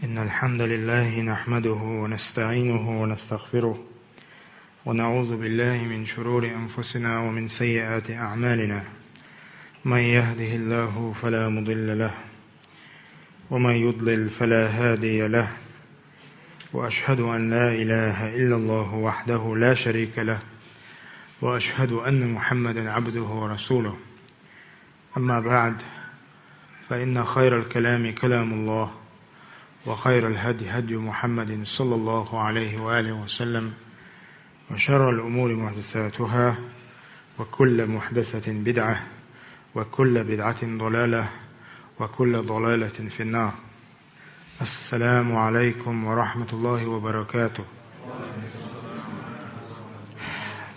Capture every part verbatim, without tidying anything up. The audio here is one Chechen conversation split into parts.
إن الحمد لله نحمده ونستعينه ونستغفره، ونعوذ بالله من شرور أنفسنا ومن سيئات أعمالنا. من يهده الله فلا مضل له، ومن يضلل فلا هادي له، وأشهد أن لا إله إلا الله وحده لا شريك له، وأشهد أن محمدا عبده ورسوله. أما بعد، فإن خير الكلام كلام الله، وخير الهدي هدي محمد صلى الله عليه وآله وسلم، وشر الأمور محدثاتها، وكل محدثة بدعة، وكل بدعة ضلالة، وكل ضلالة في النار. السلام عليكم ورحمة الله وبركاته.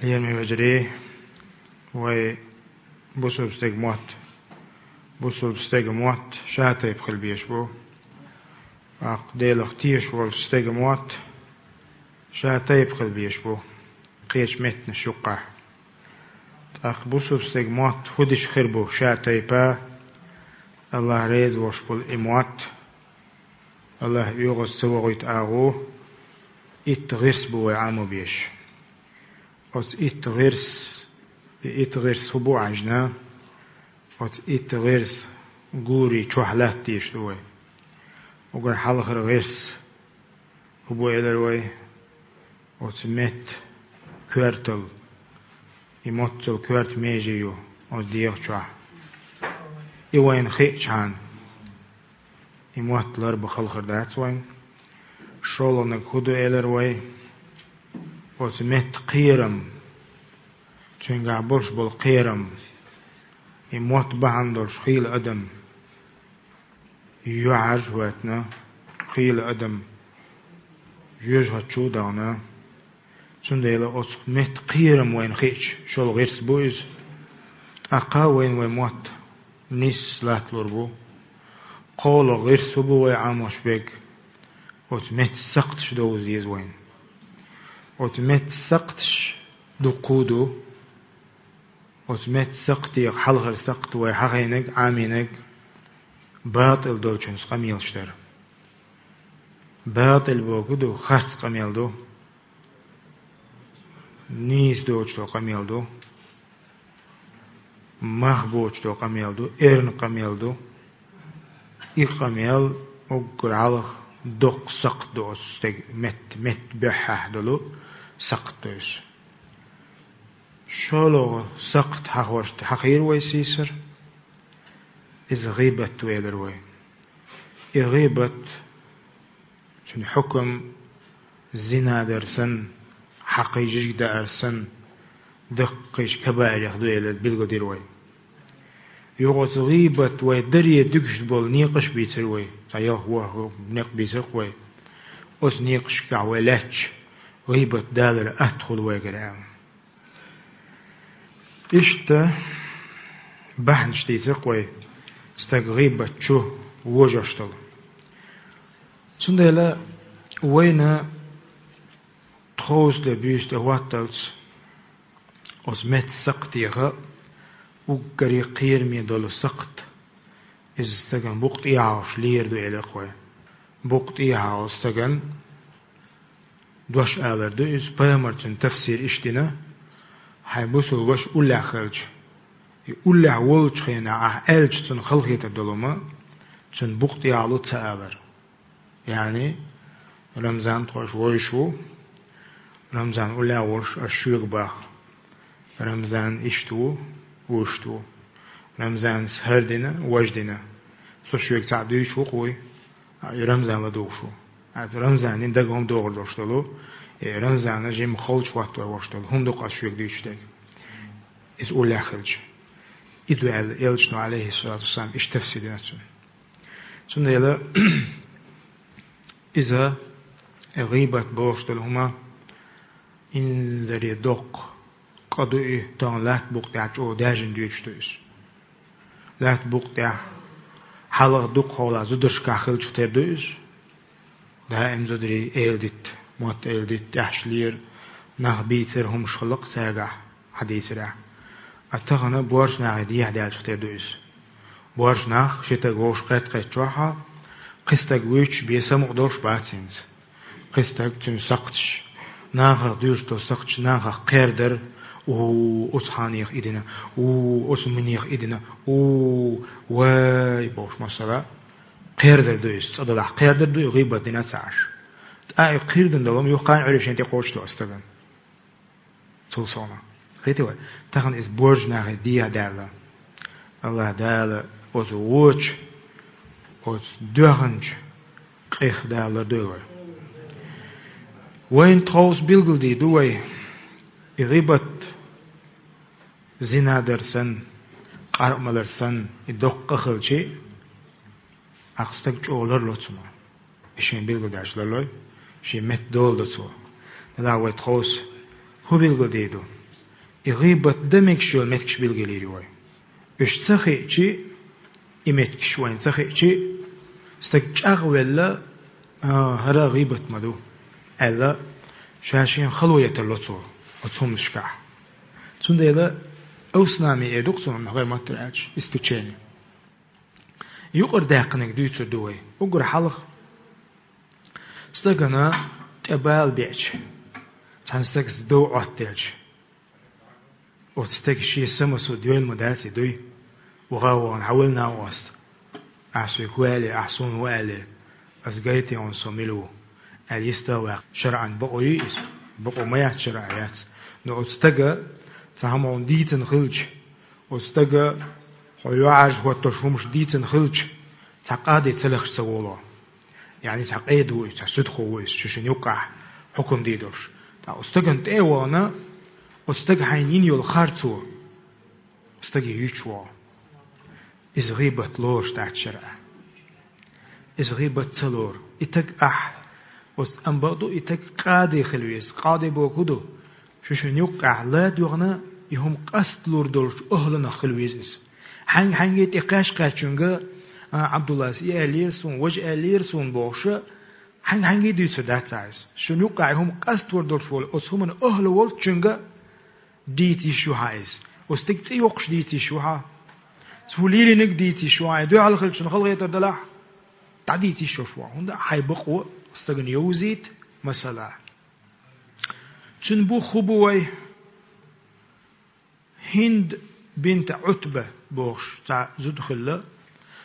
Лераме вежарий, вай бусалба стеган мотт. Бусалба стеган мотт ша тайпа хила безаш ба. ТӀаккха Делах тешаш волча стеган мотт ша тайпа хила безаш ба кхеча меттанаш юкъахь. ТӀаккха бусалба стеган мотт фу дича хир бу ша тайпа, АллахӀ реза волуш болу и мотт, АллахӀ оьгӀаз ца вохуьйту агӀо, итт гӀирс бу вай Ӏамо безаш. Оцу итт гӀирс, и итт гӀирс хӀун бу хьаьжна, оцу итт гӀирс гури чохь латта дезаш ду вай. Уггар хьалхара гӀирс хӀун бу элира вай, оцу метта коьрталла, и моццал коьрта меже ю оцу дегӀа чохь. И вайна хиъчхьана, и мотт ларбан хала хир дац вайна. ШолгӀаниг хӀун ду элира вай, оцу метта кхерам, цуьнгахь болуш болу кхерам, и мотт бахьана долуш хийла адам, юьхьӀаьржа хӀоьттина, хийла адам жоьжахати чу а дахана. Цундела оцу метта кхерам вайна хиъча, шолгӀа гӀирс бу иза. ТӀаккха вайна вай мотт нийса латталур бу. КхоалгӀа гӀирс хӀун бу вай Ӏамош берг? Оцу метта сакхташ довза деза вайна. Оцу метта сакхташ дуккха а ду. Оцу метта сакхтех хьалхара сакхт вай хьахийнарг, Ӏамийнарг, батӀал долчунца къамелаш дар. БатӀал бохург ду, харц къамел ду, нийса доцуш долу къамел ду, мах боцуш долу къамел ду, эрна къамел ду. И къамел уггар хьалха доккха сакхт ду оцу стеган метта, метта буьххьехь долу сакхт ду иза. ШолгӀа сакхт хьахош, хьахийра вай сийсара. Иза гӀийбат ду элира вай. И гӀийбат, цуьнан хьукам зина дар санна, хьакхий жижиг даар санна, даккхийчу кабаирех ду элира билгалдира вай. Юха оцу гӀийбат вай даре дуьгуш болу некъаш а бийцира вай, цхьа ялх-ворхӀ некъ бийцира-кх вай. Оцу некъашкахь вай лаьтташ, гӀийбат далар атта хуьлу вайгара аьлла. Иштта бахьанаш дийцира-кх вай стаг гӀийбат чу вожош долу. Цундела вайна тховса де буьйса тӀе хӀотталц оцу метта сакхтех уггаре кхераме долу сакхт, иза стагана букъа тӀехьа хьалуш лер ду элира-кх вай. Букъа тӀехьа хьалу стагана дош алар ду иза, пайхамара цуьнан тафсир иштта дина: хьайн бусалба ваша уллехь хилча, и уллехь волчу хенахь ахь аьлча цунна халахетар долу хӀума, цуьнан букъа тӀехьа хьалу ца алар. Яъни, Рамзан тхо аша вовзуш ву, Рамзан уллехь а волуш аша шуьга боху. Рамзан иштта ву, вуьшта ву. Рамзана хӀара дина, важа дина. Со шуьга цхьаъ дуьйцуш ву-кх вуй, а, и Рамзан ладугӀуш ву. ХӀинца Рамзанан дагахь хӀума догӀур долуш долу, и Рамзана жимма халчухӀоттор волуш долу хӀума ду-кх аса шуьга дуьйцуш дерг, иза уллехь хилча. И ду аьлла, элчано, Ӏалайхиссалату вассалам, иштта тафсир дина цуьнан. Цундела иза, э, гӀийбат бохуш долу хӀума, инзаре доккха къа ду и, тахана латта букъа тӀехь чӀогӀа даьржина дуьйцуш ду иза. Латта букъа тӀехь хьалха дукха хьолахь зударшкахь хилчух тера ду иза. Даим зударий эладитта, мотт эладитта, тӀехьаш лера, нах бийцира, хӀумаш хилла-кх цаьргахь, хьан дийцарехь. А тахана боьрша нахе дехьа даьллачух тера ду иза. Боьрша нах ши стаг вовшах кхетта-кхетта чохь а, Кхин стаг вуьйцуш бен самукъа долуш бац хӀинца. Кхин стаг, цуьнан сакхташ, нахах дуьйцуш долу сакхташ нахах кхердар: «У, оцу ханех и дина, у, оцу минех и дина, у, вай», – бохуш, масала, кхердар ду иза, цкъа делахь кхердар ду и гӀийбат дина ца Ӏаш. ТӀаккха и кхийрдан долу хӀума юххе а Ӏуьйре шен тӀе кхочуш ду аса стагана. Цул совнаха. Кхетий вай? Тахана иза божарий нахе дехьа даьлла. АллахӀ Дала оцу вочу, оцу доьхначу къех Дала лардойла вай. Вайна тховса билгалдийр ду вай, и гӀийбат, зина дар санна, къаркъа малар санна, и доккха къа хилча, ахь стаг чӀогӀа ларло цунах. И шен билгалдаьлча ларлой, шен метта доладо цо. Делахь вай тховса хӀун билгалдийр ду? И гӀийбат дан мегаш йолу меттигаш билгалйийр ю вай. Уьш ца хиъча, и меттигаш вайна ца хиъча, стаг чӀагӀвелла: «А, хӀара гӀийбат ма ду», – аьлла, ша шена хало еттар ло цо оцу хӀуманашкахь. Цундела авснами эр ду-кх цунах, гӀайре маттара аьлча, исключение. Юкъара даьккхинарг дуьйцур ду вай. Уггар хьалха, стагана тӀе бала беача, цхьана стагца дов Ӏоттаелча, оцу стага шен самасо доьйла ма дац и дуй: «Ваха, вахана хьан валла накъост? Ахь соьга хӀун аьлла, ахь суна хӀун аьлла? Ас гайтий хьуна со мила ву?» – аьлла йист а ваккха. ШарӀан бакъо юй иза? Бакъо ма яц, шарӀан яц. Но оцу стага цхьа хӀума хьуна дийцина хилча, оцу стага хьо йоӀаржа хӀоттош хӀумаш дийцина хилча, цхьа къади ца лехаш ца волу. Яъни цхьа къеда ву иза, цхьа суьдхо ву иза, шу шуна юккъехь хьукам дийр долуш. Ткъа оцу стагана тӀе а вахана, оцу стага хьайна йина йолу харцо стаге юьйцуш вогӀу. Иза гӀийбат лоруш дац шарӀа. Иза гӀийбат ца лору. И стаг ахь, оцу амма бакъ ду, и стаг къади хила веза. Къади бохург хӀун ду? Шу шуна юккъехь ла а доьгӀна, и хӀума къасталур долчу охӀланах хила веза иза. Хьаьнга-хьаьнга тӀе кхаьш-кхаьччуьнга: «А, Ӏабдуллас, и аьллера суна, важа аьллера суна», – бохуш, хьаьнга-хьаьнга дуьйцур дац ахь иза. Шуна юккъехь и хӀума къасталур долуш волу оцу хӀуманан охӀла волчуьнга дийца йиш ю хьан иза. Оцу стеган цӀе йоккхуш дийца йиш ю хьан. Цо лелийнарг дийца йиш ю хьан. Дуьхьал хилча, цунна хала хетар делахь, дӀадийца йиш йолуш ву хьан. ХӀунда аьлча хьайн бакъо стагана йовзийта, масала. Цуьнан бух хӀун бу вай? ХӀинд бинт Ӏутба бохуш цхьа зуда хилла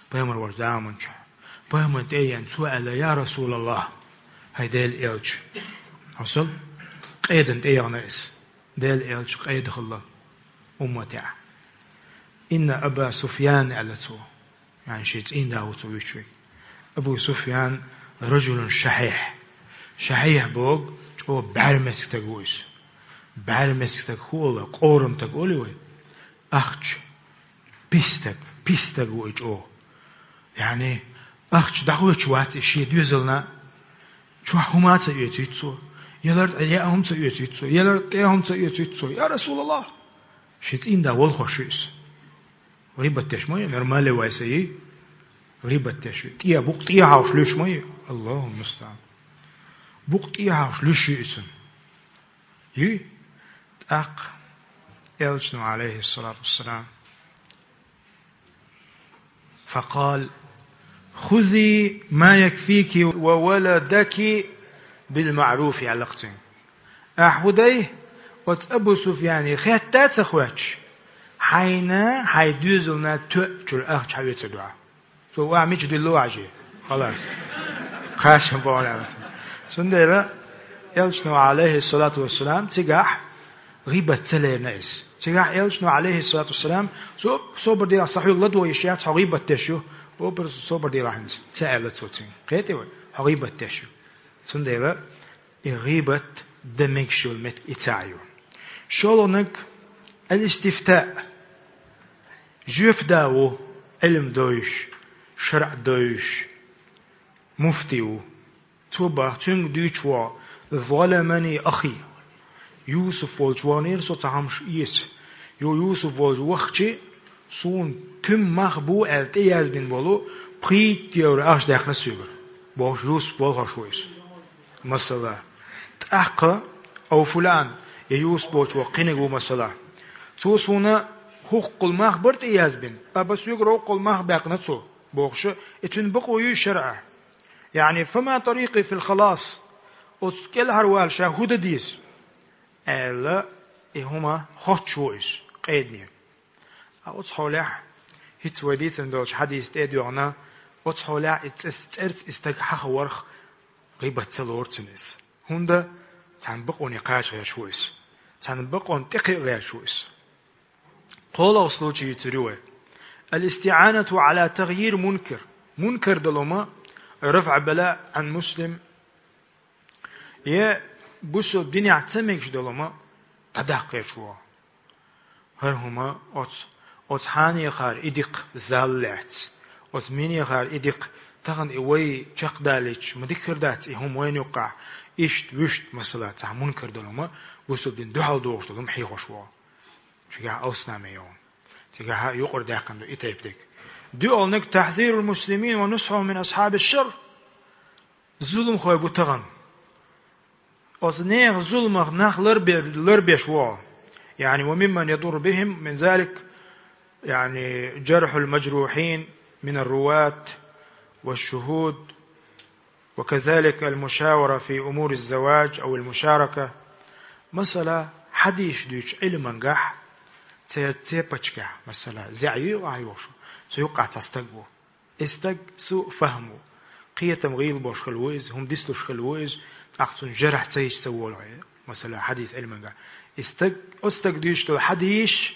пайхамар волчу заманчохь. Пайхамарна тӀе а еана, цо аьлла: «Я РасулаллахӀ, хӀай Делан элча». Хьо сал къедан тӀе яхана иза. Делан элча къеда хилла умматехь. «Инна Аба Суфьян», – аьлла цо. Яъни шен цӀийнда ву цо вуьйцуш верг. Абу Суфьян ражулун шахьихь. Шахьихь боху, чӀогӀа бӀаьрмециг стаг ву иза. БӀаьрмециг стаг хӀун олу, къорам стаг олий вай? Ахча, пис стаг, пис стаг ву и чӀогӀа. Яъни ахча дӀахоьцуш вац и шен доьзална. Чохь хӀума а ца оьцуьйту цо. Ялар тӀе яа хӀума ца оьцуьйту цо. Ялар тӀе хӀума ца оьцуьйту цо. Я РасулаллахӀ! Шен цӀийнда волхош ю иза. ГӀийбат деш ма ю, нормале вай сан йий. ГӀийбат деш ю. ТӀе, букъ тӀе хьовш луьйш ма ю. АллахӀу мустаӀан. Букъ тӀе хьовш луьйш ю иза. Юй? ТӀаккха элчано, Ӏалайхиссалату вассалам, факъал: «Хузи ма якфики ва валадаки билмаъруф», – аьлла-кх цуьнга. Ахь хӀун дай, оцу Абу Суфьяне хетта а ца хоьттуш, хьайна, хьайн доьзална тоьачуьра ахча хьаоьцур ду ахь. Цо ва мича дуьллу вӀажий? Халас. Кхачам боху аьлла. Цундела элчано, Ӏалайхиссалату вассалам, цигахь гӀийбат ца лерина иза. Цигахь элчано, Ӏалайхиссалату вассалам, со-, собар делахь, сан хьоьга ладогӀа йиш яц, хьо гӀийбат деш ю. Образ собар делахь хӀинца, ца аьлла цо цуьнга. Кхетий вай? Хьо гӀийбат деш ю. Цундела и гӀийбат дан мегаш йолу меттиг и цхьаъ ю. ШолгӀаниг, аль-истифтаъ. Жоьпа да ву, Ӏилма дойуш, шарӀ дойуш, муфти ву. Цо бах, цуьнга дуьйцуш ву: «ЗаламаниӀ ахи». Юсуп волчу ваханера со цхьа хӀумаш эца. Ю-, Юсуп волчу вахча, суна туьма мах бу аьлла тӀеязбина болу пхийтта евро ахча даьккхина соьгара, бохуш, Юсуп волхош ву иза. Масала, тӀаккха Ӏовфулан, я Юсуп волчу ваха кхиниг ву, масала. Цо суна хӀоккхул мах бара тӀеязбина, аба соьгара хӀоккхул мах баьккхина цо, бохуш, и цуьнан бакъо юй шарӀа. يعني فما طريقي في الخلاص, оцу кӀелхьарвала ша хӀун дан деза, аьлла, и хӀума хоттуш ву иза, къедане. Ткъа оцу хьолехь, хӀинца вай дийцина долчу хьадиса тӀе а доьгӀна, оцу хьолехь и цӀе-, цӀерца и стаг хьахаварх гӀийбат ца лору цунна иза. ХӀунда? Цхьана бакъоне кхача гӀерташ ву иза. Цхьана бакъонна тӀекхиа гӀерташ ву иза. КхоалгӀа случай йийцар ю вай. الاستعانة على تغيير منكر. Мункар далума, رفع بلاء عن مسلم. Я бусалба динехь ца мегаш долума дӀадаккха гӀерташ ву. ХӀара хӀума оцу, оцу хьанехара и дикха зал лаьцна, оцу минехара и дикха тахана и вай чекхдалийча, ма дика хир дац и хӀума вайна юккъехь, иштта, вуьшта, масала, цхьа мункар долума, бусалба дин дуьхьал дохуш долума хьехош ву. Цигахь алснаме йогӀу. Цигахь юкъара даьккхина ду и тайпа дерг. ДоьалгӀаниг تحذير المسلمين ونصحهم من أصحاب الشر. Зуламхой бу тахана. Оцу нехан зуламах нах ларбе-, ларбеш ву. يعني وممن يضر بهم من ذلك, يعني جرح المجروحين من الرواة والشهود, وكذلك المشاورة في أمور الزواج أو المشاركة. Масала, хьадисаш дуьйцучу Ӏилманехь, церан цепочкехь, масала, зеӀ юй ахь йохуш, цу юккъехь цхьа стаг ву. И стаг суъ фахьам ву, кхетам гӀийла болуш хилла ву иза, хӀума дислуш хилла ву иза, тӀаккха цунна жархь ца йича ца волу хьуна, масала, хьадис Ӏилманехь. И стаг, оцу стага дуьйцуш долу хьадисаш,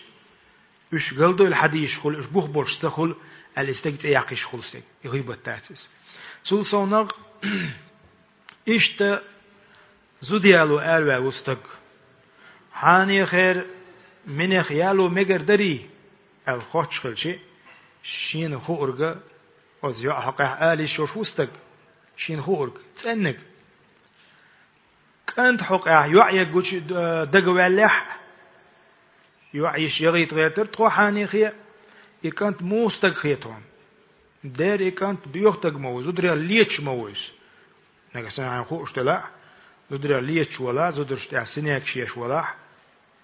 уьш галдойла хьадисаш хуьлу, уьш бух болуш ца хуьлу, аьлла, и стаг цӀе яккха йиш хуьлу стаг. И гӀийбат дац иза. Цул совнагӀа, иштта зуда яло араваьлла ву стаг. Хьанехера минех яло мегар дарий, аьлла хоттуш хилча, шена хуург, оцу йоӀа хьокъехь ала йиш йолуш ву стаг. Шена хуург, цӀенниг. КӀанта хьокъехь йоӀ егучу, э, дагаваьллехь а, йоӀ йиш яхийта гӀертара тхо хьанехе, и кӀант муха стаг хета хьуна? Дера и кӀант боьха стаг ма ву, зударех леташ ма ву иза. Нагахь санна хьайна хууш делахь, зударех леташ валахь, зударшна тӀехь синекаш еш валахь,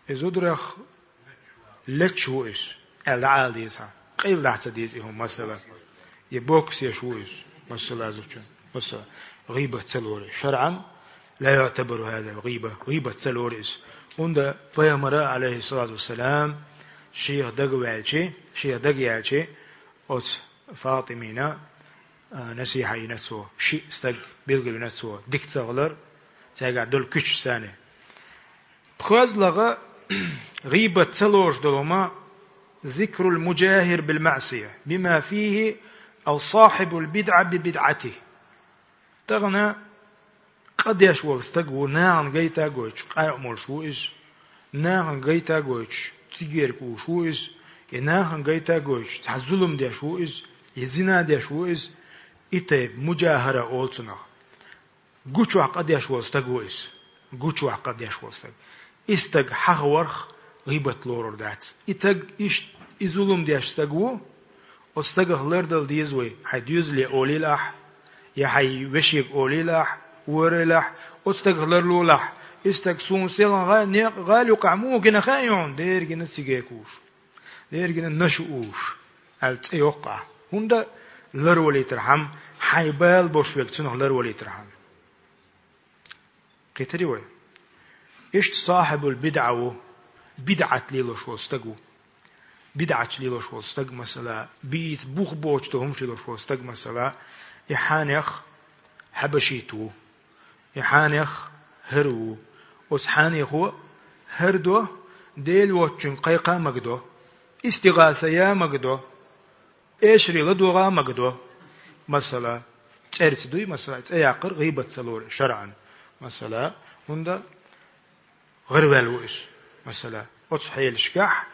и зударех леташ ву иза, аьлла дӀаала деза хьан. Къайладахь ца деза и хӀума, масала. Я бокс еш ву иза, масала, зудчун, масала. ГӀийбат ца лору иза. ШарӀан لا يعتبر هذا غيبة, гӀийбат ца лору иза. ХӀунда пайхамара, Ӏалайхиссалату вассалам, шех дагаваьлча, шех дагаяьлча, оцу ФатӀимина, а, насихьа йина цо, шиъ стаг билгалвина цо, дика ца хилар, цаьргахь долу куьчаш санна. ПхоьазлагӀа, гӀийбат ца лоруш долу хӀума, ذكر المجاهر بالمعصية بما فيه أو صاحب البدعة ببدعته. Тахана къа деш волу стаг ву, нахана гайта а гойтуш, къа а молуш ву иза, нахана гайта а гойтуш, цига герга узуш ву иза, и нахана гайта а гойтуш, цхьа зулам деш ву иза, и зина деш ву иза, и тайпа муджахара олу цунах. Гучохь къа деш волу стаг ву иза. Гучохь къа деш волу стаг. И стаг хьахаварх гӀийбат лорур дац. И стаг иштта, и зулам деш стаг ву, оцу стагах лардала деза вай, хьайн доьзале олийла ахь, я хьайн вешега олийла ахь, варайла ахь, оцу стагах ларлолахь, и стаг суна селхана гӀа-, некъ гӀала юккъехь муха гина хаьий хьуна, дера гина цига куш. Дера гина нашу уш, аьлла цӀе йоккху ахь. ХӀунда ларвалийтархьама, хьайн бала бош верг цунах ларвалийтархьама. Кхетарий вай? Иштта сахьибул бидӀа ву, бидӀат лелош волу стаг ву. БидӀаташ лелош волу стаг, масала, бийца бух боцуш долу хӀумаш лелош волу стаг, масала, и хьанех хьабашит ву. И хьанех хӀара ву. Оцу хьанехо хӀара до, Дела воцчуьнга кхайкха а магадо, истигӀаса я а магадо, эшаре ладогӀа а магадо. Масала, цӀерца дуй, масала, цӀе яккхар гӀийбат ца лору шарӀан. Масала, хӀунда гӀараваьлла ву иза. Масала, оцу хьелашкахь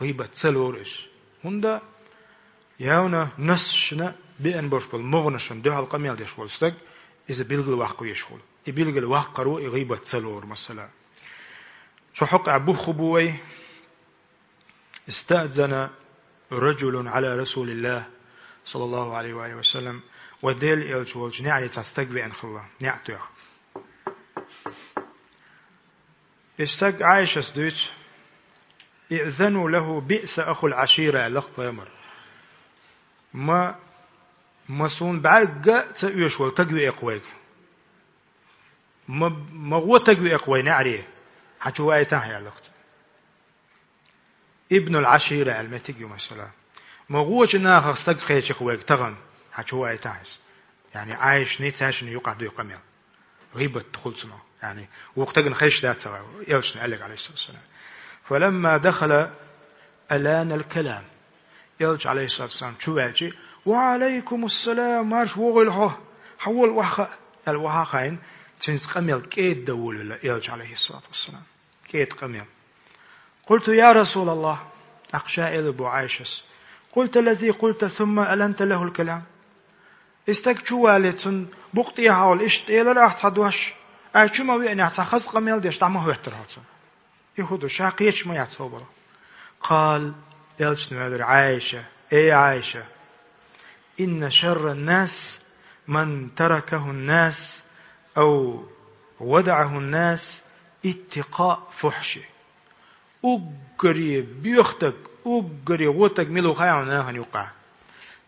гӀийбат ца лору иза. ХӀунда явна нассашна беана бош болу могӀанашна дуьхьал къамел деш волу стаг, иза билгал ваккха веш волу. И билгал ваккхаро и гӀийбат ца лору, масала. Цу хьокъехь бух бу вай: استأذن رجل على رسول الله صلى الله عليه وآله وسلم, вай Делан элча волчу неӀаре цхьа стаг веана хилла, неӀ тоьхна. И стаг Ӏайшас дуьйцу: ائذنوا له بئس أخو العشيرة, аьлла-кх пайхамар. Ма Ма суна бӀарга а ца оьшу волу таг веаккха вайга. Ма, ма гӀо таг веаккха вай неӀаре. Хьан чу ваийтахьа аьлла-кх цо. Ибнул Ӏашира аьлла меттиг ю, масала. Ма гӀочу нахах стаг кхеча-кх вайга тахана. Хьан чу ваийтахьа иза. Яъни Ӏайшанна, цаьршинна юкъахь дуй къамел. ГӀийбат хуьлу цунах. Яъни, вукху стагана хезаш дац ца вай, элчанна аьлларг, Ӏалайхиссалату вассалам. فلما دخل ألان الكلام. Элча, Ӏалайхиссалату вассалам, чу ваьлча: «Ва Ӏалайкумуссалам, марша вогӀийла хьо, хьан волу охьахаа», аьлла, охьа а хаийна, цуьнца къамел кӀеда дан волавелла элча, Ӏалайхиссалату вассалам. КӀеда къамел. قلت: يا رسول الله. ТӀаккха ша элира боху Ӏайшас: قلت الذي قلت ثم ألنت له الكلام. И стаг чу вале, цунна букъа тӀехьа волу иштта элира ахь цхьа дош, ай чу ма веанехь, цхьа хаза къамел деш, дӀа ма хӀоьттира хьо цунна. И хӀун ду, ша кхеча ма яц хӀобалла. قال, элчано элира: Ӏайша, эй Ӏайша, إن شر الناس من تركه الناس أو ودعه الناس اتقاء فحشه. Уггаре боьха стаг, уггаре гӀо стаг мила ву хаьий хьуна нахана юкъахь?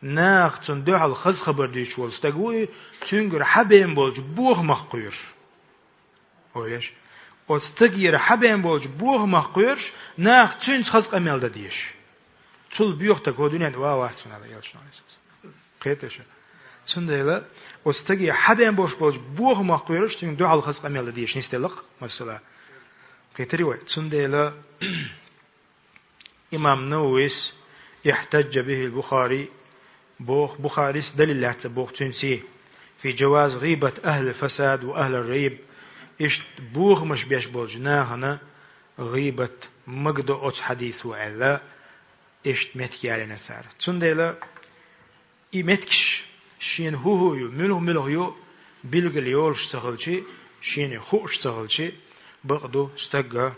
Наха цунна дуьхьал хаза хабар дуьйцуш волу стаг ву и, цуьнгара хьабеана болчу бохамах кхоьруш. Ойла еш. Оцу стагера хьабеана болчу бохамах кхоьруш, наха цуьнца хаза къамел дан дезаш. Цул боьха стаг хӀокху дуьнен тӀе ван вац хьуна, аьлла элчано, Ӏалайхиссалату вассалам. Кхетий шу? Цундела оцу стаге хьабеана болуш болчу бохамах кхоьруш, цуьнга дуьхьал хаза къамел дан дезаш нисделла-кх, масала. Кхетарий вай? Цундела имам Нававис: احتج به البخاري, боху, Бухарис далил лаьцна боху цуьнца, في جواز غيبة أهل الفساد وأهل الريب, иштта бохамаш беш болчу нахана гӀийбат магадо оцу хьадисо аьлла, иштта меттиг ялийна цара. Цундела и меттигаш шена хӀун-хӀун ю, муьлха-муьлха ю, билгал йолуш ца хилча, шена хууш ца хилча, бакъ ду, стаг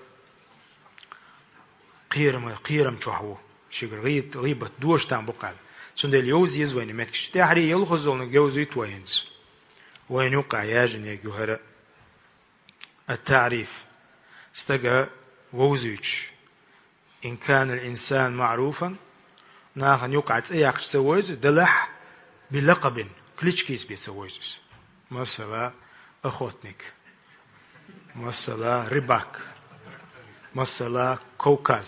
кхерам, кхерам чохь ву, шегара гӀий-, гӀийбат дош там бу кхаьлла. Цундела йовза еза вайна меттигаш. ТӀаьхьарий ялхаззалниг йовзуьйту вай хӀинца. Вайна юккъехь яжинег ю хӀара. التعريف. Стага вовзуьйтуш. إن كان الإنسان معروفا, нахана юкъахь цӀе яккхаш ца вевза, делахь, بلقب, кличкица бен ца вевза иза. Масала, охотник. Масала, рыбак. Масала, Кавказ.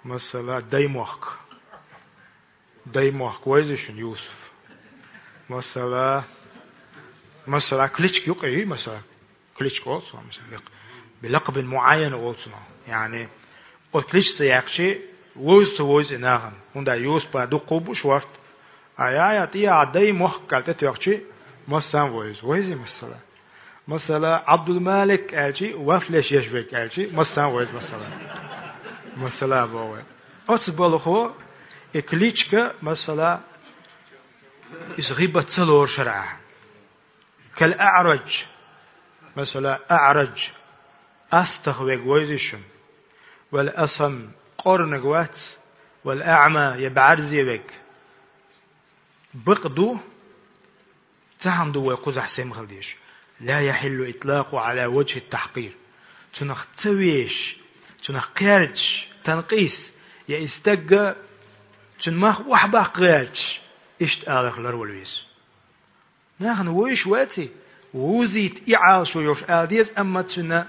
Масала, Даймохк. Даймохк вевза шуна, Юсуф. Масала, масала, кличка юкъа юй, масала. Кличка олу цунах, масала, бекъ-, بلقب معين олу цунах. Яъни, оцу кличка ца яьккхича, вовза ца вевза и нахана. ХӀунда Юсупа дуккха а бу шорта. А я, я, тӀе а Даймохк аьлла тӀетоьхча, массарна вевза. Вевза, масала. Масала, Абдулмалик аьлча, вафлеш еш верг аьлча, массарна вевза, масала. Масала боху вай. Оцу балхо, и кличка, масала, иза гӀийбат ца лору шарахь. كالأعرج, масала, аърадж, астагӀа верг вевза шуна. والأصم, къорнаг вац, والأعمى, я бӀаьрзе верг. Бакъ ду, цхьаъ ду вай кхузахь сема хила дезаш. لا يحل إطلاقه على وجه التحقير. Цунах ца вешаш, цунах кхаьрдаш, танкъис, я и стагга, цуьнан мах охьабаккха гӀерташ, иштта аларх ларвала веза. Нахана вевзаш ваций, вовзийта и Ӏалашо йолуш ала деза, амма цуьнан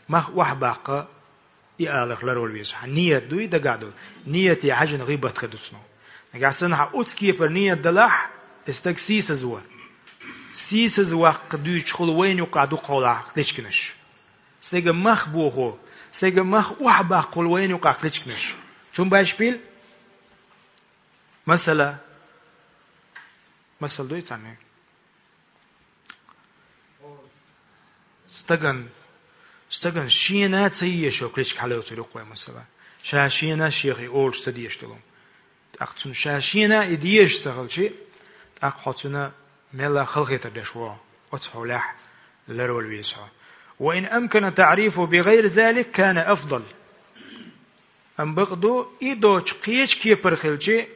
мах охьабаккха и аларх ларвала веза. Хьан ният дуй дагахь долу? Нияте хьаьжжина гӀийбат хир ду цунах. Нагахь санна хьан оцу кепара ният далахь, и стаг сийсаз ву. Сийсаз ваккха дуьйцуш хуьлу вайна юкъахь дукхахьолахь кличканаш. Стеган мах бохо, стеган мах охьабаккхалур вайна юкъахь кличканаш. Цуьнан башпил? Масала. Масала дуй цхьанна? Стаган, стаган шена ца езаш йолу кличка хьалоцур ю-кх вай, масала. Ша шена шех и олуш ца дезаш долу. ТӀаккха цунна ша шена и дезаш ца хилча, тӀаккха хьо цуьнан мелла халахетар деш ву. Оцу хьолехь ларвала веза хьо. وإن أمكن تعريفه بغير ذلك كان أفضل. Амма бакъ ду, и доцуш кхечу кепара хилча,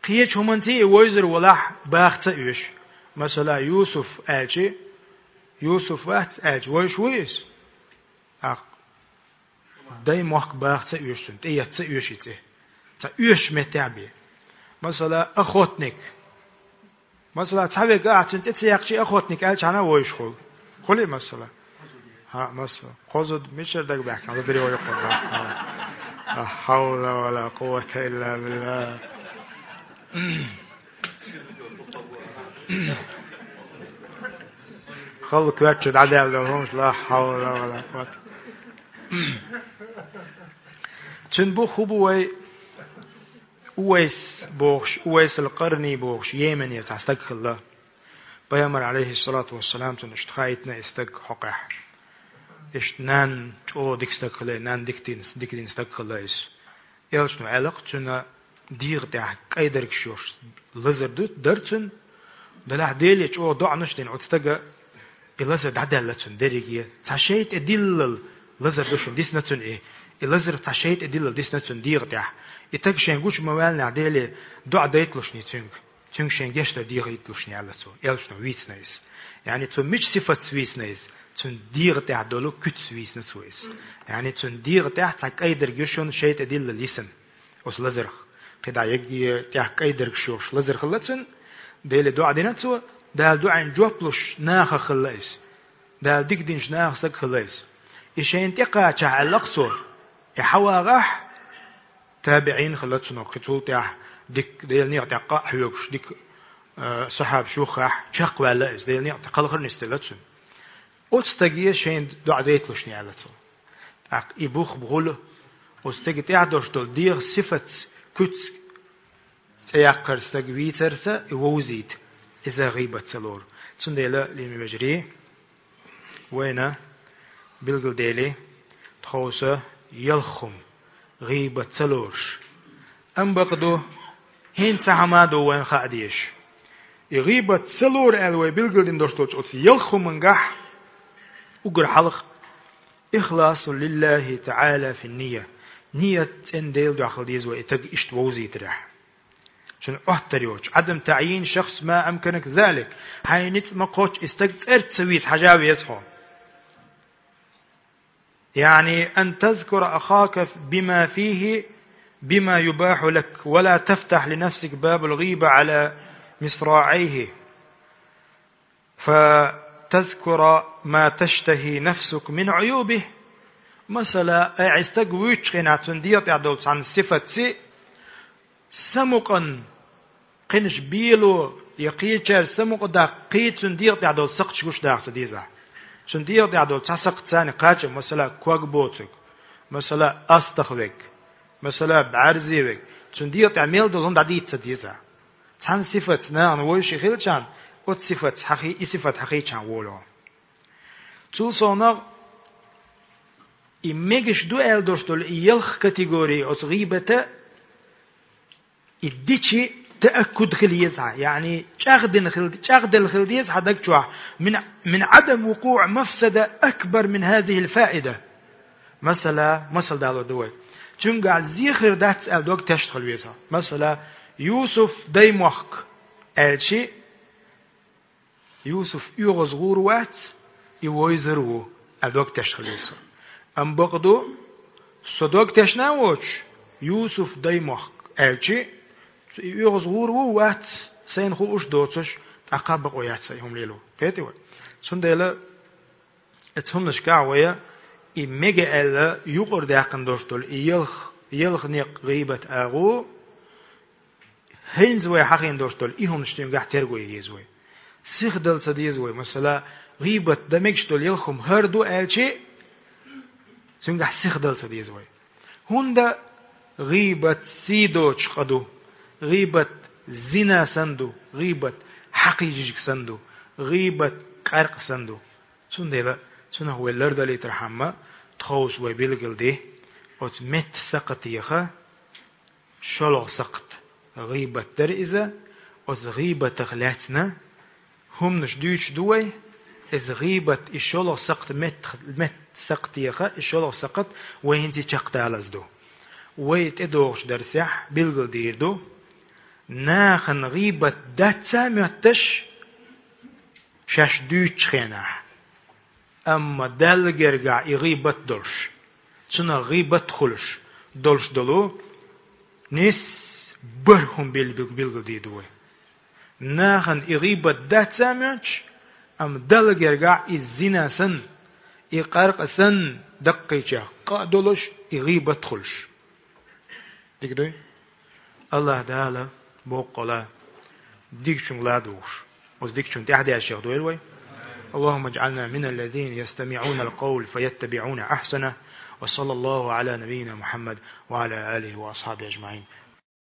кхечу хӀуманца и вевзар валахь, баха ца оьшу. Масала, Юсуф аьлча, Юсуф вац аьлча, вевзаш вуй иза? ТӀаккха Даймохк баха ца оьшу цунна, тӀеэца ца оьшу и цӀе. Цхьа оьшучу меттехь бен. Масала, охотник. Масала, цхьа вега ахь цуьнан цӀе ца яьккхича, охотник аьлча хьана вовзаш хуьлу. Хуьлий, масала? ХӀаъ, масала. Кхо зуда мичара дага баьхкина, зуда йогӀу. Ла хьавла ва ла къуввата илла билла. Халла коьртачу дӀадаьлла долу хӀумаш, ла хьавла ва ла къуввата. Цуьнан бух хӀун бу вай? Увайс бохуш, Увайсал Къарни бохуш, Йеменера цхьа стаг хилла. Пайхамар, алейхиссалату вассалам, цунна иштта хаийтина и стаг хьокъехь. Иштта нанна чӀогӀа дика стаг хилла, нанна дика дина, дика дина стаг хилла иза. Элчано аьлла-кх, цуьнан дегӀа тӀехь кӀайдаргаш йолуш лазар ду, дара цуьнан, делахь Деле чӀогӀа доӀанаш а дина оцу стага, и лазар дӀадаьлла цуьнан дерриге. Цхьа шайтӀа диллал лазар ду шуна дисна цуьнан и. И лазар цхьа шайтӀа диллал дисна цуьнан дегӀа тӀехь. И стаг шен гучу ма ваьллинехь Деле доӀа дайталушний цуьнга. Цуьнга шен гешт дар дехийталушний аьлла цо. Элчано вийцина иза. Яъни цо мича сифатца вийцина иза? Цуьнан дегӀа тӀехь долу куьцаца вийцина цо иза. Яъни цуьнан дегӀа тӀехь цхьа кӀайдарг ю шуна шайтӀа диллал йисина. Оцу лазарх. КхидӀа егге тӀехь кӀайдаргаш йолуш лазар хилла цуьнан. Деле доӀа дина цо, Дала доӀина жоп луш нахах хилла иза. Дала дика динчу нахах стаг хилла иза. И шайна тӀекхачахь аьлла-кх цо, и хьавагӀахь, табиӀин хилла цунах, кхин цул тӀаьхьа дика Делан некъа тӀехь къа а хьоьгуш, дика, а, сахьабаш юххехь чекхваьлла иза, Делан некъа тӀехь кхалхар нисделла цуьнан. Оцу стаге шайна доӀа дайталушний аьлла цо. ТӀаккха и бух бухула, оцу стаге тӀехь долуш долу дегӀан сифатца, куьцаца цӀе яккхар стаг вийцарца и вовзийта, иза гӀийбат ца лору. Цундела, лераме вежарий, вайна билгалдели, тховса ялх хӀума гӀийбат ца лоруш. Амма бакъду, хӀинца цхьа хӀума ду вайна хаа дезаш. И гӀийбат ца лору аьлла вай билгалдина долуш долчу оцу ялх хӀумангахь уггар хьалха ихласу лиллахи таӀала фи нийя. Ният цӀена Делан дуьхьа хила деза вай и стаг иштта вовзийтарехь. Цуьнан Ӏоттар йоцуш. Ӏадам таӀйин шахс ма амканак залик. Хьайн ницкъ ма кхоччу и стаг цӀерца ца вийца хьажа веза хьо. يعني أن تذكر أخاك بما فيه، بما يباح لك، ولا تفتح لنفسك باب الغيبة على مصراعيه، فتذكر ما تشتهي نفسك من عيوبه. Масала, ай, и стаг вуьйцучу хенахь цуьнан дегӀа тӀехь долу цхьана сифатций, самукъан кхинаш бело я кхечаьрца самукъа даккха, кхин цуьнан дегӀа тӀехь долу сакхташ гуш даха ца деза. Цуьнан дегӀа тӀехь долу цхьа сакхт царна кхача, масала, ког боцург, масала, астагӀа верг, масала, бӀаьрзе верг, цуьнан дегӀа тӀехь мел долу хӀума дӀадийца ца деза. Цхьана сифатца нахана вовзуш хилчахьана, оцу сифатца хьахий-, и сифат хьахийчахьана волу. Цул совнагӀа, и мегаш ду аьлла долуш долу и ялх категори оцу гӀийбата, и дичи тааккуд хила еза хьан, яъни чӀагӀдина хила, чӀагӀделла хила деза хьан даг чохь, мин, мин Ӏадам вукъуӀ мафсада акбар мин хазихил фаида. Масала, масал дало ду вай. Цуьнгахь зе хир дац аьлла дог тешна хила веза хьо. Масала, Юсуф даймохк аьлчи, Юсуф оьгӀаз гӀур вац, и вовзар ву, аьлла дог тешна хила веза со. Амма бакъду, со дог тешна а воцуш, Юсуф даймохк аьлчи, и оьгӀаз гӀур ву, вац, сайна хууш доцуш, тӀаккха бакъо яц сан и хӀума лело. Кхетий вай? Цундела, оцу хӀуманашкахь вай, и мега аьлла юкъара даьккхина долуш долу и ялх, ялх некъ гӀийбат агӀо, хӀинца вай хьахийна долуш долу и хӀуманаш цуьнгахь терго ян еза вай. Сихдала ца деза вай. Масала, гӀийбат дан мегаш долу ялх хӀума хӀара ду аьлчи, цуьнгахь сихдала ца деза вай. ХӀунда гӀийбат сий доцуш къа ду, гӀийбат зина санна ду, гӀийбат хьакхийжижиг санна ду, гӀийбат къаьркъа санна ду. Цундела цунах вай лардалийтархьама, тховса вай билгалде, оцу метта сакхатеха, шолгӀа сакхт гӀийбат дара иза, оцу гӀийбатах лаьцна хӀуманаш дуьйцуш ду вай, иза гӀийбат, и шолгӀа сакхт мет-, метта сакхтеха, и шолгӀа сакхт вай хӀинца чекхдалаза ду. Вай тӀедогӀучу дарсехь билгалдийр ду, нахана гӀийбат дац а моьтташ, шаьш дуьйцучу хенахь. Амма Далла гергахь и гӀийбат долуш, цунах гӀийбат хуьлуш долуш долу нис бархӀ хӀума бил-, билгалдийр ду вай. Нахана и гӀийбат дац а моьттуш, амма Далла гергахь и зина санна, и къаркъа санна, даккхийчех къа а долуш, и гӀийбат а хуьлуш. Дика дуй? АллахӀ Дала боккъала дикачуьнга ладугӀуш, оцу дикачунна тӀаьхьадаьржичех дойла вай. اللهم اجعلنا من الذين يستمعون القول فيتبعون أحسنه. وصلى الله على نبينا محمد وعلى آله وأصحابه أجمعين.